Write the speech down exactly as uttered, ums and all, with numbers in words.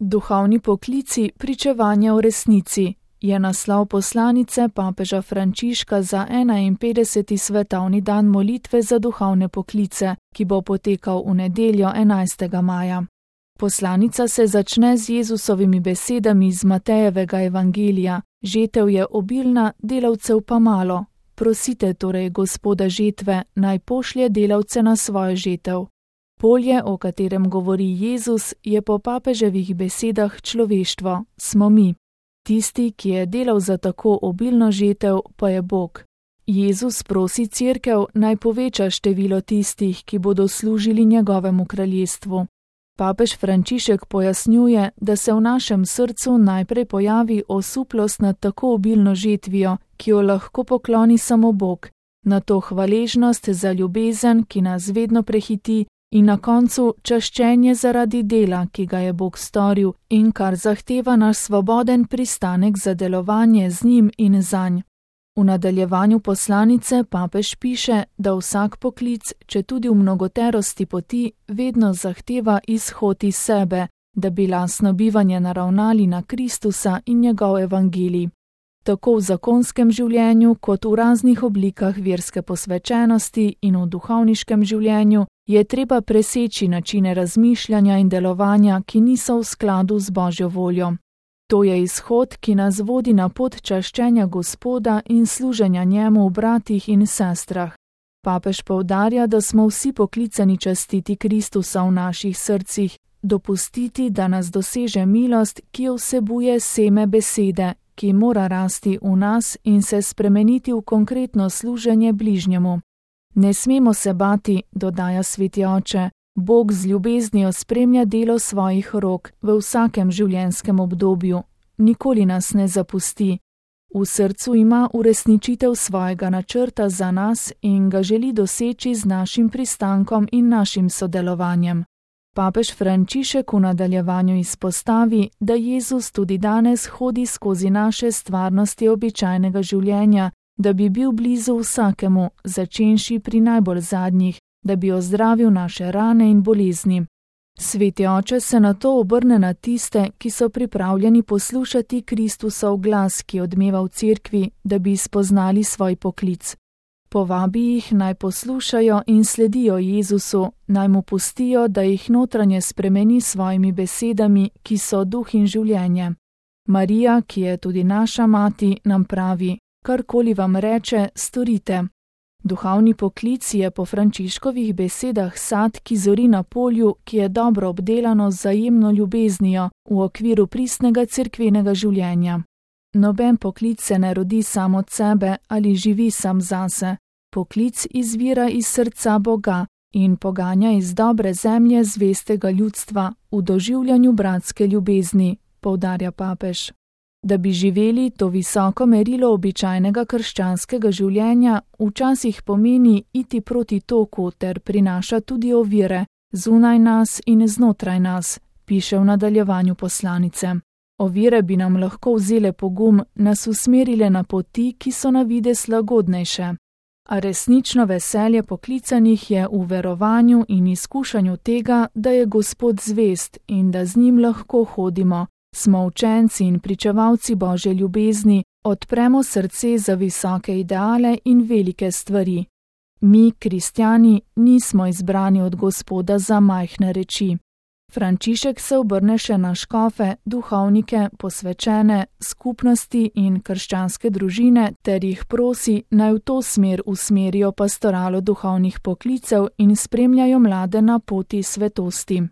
Duhovni poklici pričevanja v resnici je naslov poslanice papeža Frančiška za enainpetdeseti svetovni dan molitve za duhovne poklice, ki bo potekal v nedeljo enajstega maja. Poslanica se začne z Jezusovimi besedami iz Matejevega evangelija: žetev je obilna, delavcev pa malo. Prosite torej Gospoda žetve, naj pošlje delavce na svojo žetev. Polje, o katerem govori Jezus, je po papeževih besedah človeštvo, smo mi. Tisti, ki je delal za tako obilno žetev, pa je Bog. Jezus prosi cerkev, naj poveča število tistih, ki bodo služili njegovemu kraljestvu. Papež Frančišek pojasnjuje, da se v našem srcu najprej pojavi osuplost nad tako obilno žetvijo, ki jo lahko pokloni samo Bog, nato hvaležnost za ljubezen, ki nas vedno prehiti, in na koncu čaščenje zaradi dela, ki ga je Bog storil in kar zahteva naš svoboden pristanek za delovanje z njim in zanj. V nadaljevanju poslanice papež piše, da vsak poklic, če tudi v mnogoterosti poti, vedno zahteva izhod iz sebe, da bi lastno bivanje naravnali na Kristusa in njegov evangelij. Tako v zakonskem življenju, kot v raznih oblikah verske posvečenosti in v duhovniškem življenju, je treba preseči načine razmišljanja in delovanja, ki niso v skladu z Božjo voljo. To je izhod, ki nas vodi na pot čaščenja Gospoda in služenja njemu v bratih in sestrah. Papež poudarja, da smo vsi poklicani častiti Kristusa v naših srcih, dopustiti, da nas doseže milost, ki jo vsebuje seme besede, ki mora rasti v nas in se spremeniti v konkretno služenje bližnjemu. Ne smemo se bati, dodaja sveti oče, Bog z ljubeznijo spremlja delo svojih rok v vsakem življenjskem obdobju, nikoli nas ne zapusti. V srcu ima uresničitev svojega načrta za nas in ga želi doseči z našim pristankom in našim sodelovanjem. Papež Frančišek v nadaljevanju izpostavi, da Jezus tudi danes hodi skozi naše stvarnosti običajnega življenja, da bi bil blizu vsakemu, začenši pri najbolj zadnjih, da bi ozdravil naše rane in bolezni. Sveti oče se nato obrne na tiste, ki so pripravljeni poslušati Kristusov glas, ki odmeva v cerkvi, da bi spoznali svoj poklic. Povabi jih, naj poslušajo in sledijo Jezusu, naj mu pustijo, da jih notranje spremeni s svojimi besedami, ki so duh in življenje. Marija, ki je tudi naša mati, nam pravi: karkoli vam reče, storite. Duhovni poklic je po Frančiškovih besedah sad, ki zori na polju, ki je dobro obdelano z vzajemno ljubeznijo v okviru pristnega cerkvenega življenja. Noben poklic se ne rodi sam od sebe ali živi sam zase. Poklic izvira iz srca Boga in poganja iz dobre zemlje zvestega ljudstva v doživljanju bratske ljubezni, poudarja papež. Da bi živeli to visoko merilo običajnega krščanskega življenja, včasih pomeni iti proti toku ter prinaša tudi ovire, zunaj nas in znotraj nas, piše v nadaljevanju poslanice. Ovire bi nam lahko vzele pogum, nas usmerile na poti, ki so na videz lagodnejše. A resnično veselje poklicanih je v verovanju in izkušanju tega, da je Gospod zvest in da z njim lahko hodimo. Smo učenci in pričevalci Božje ljubezni, odpremo srce za visoke ideale in velike stvari. Mi, kristjani, nismo izbrani od Gospoda za majhne reči. Frančišek se obrne še na škofe, duhovnike, posvečene, skupnosti in krščanske družine ter jih prosi, naj v to smer usmerijo pastoralo duhovnih poklicev in spremljajo mlade na poti svetosti.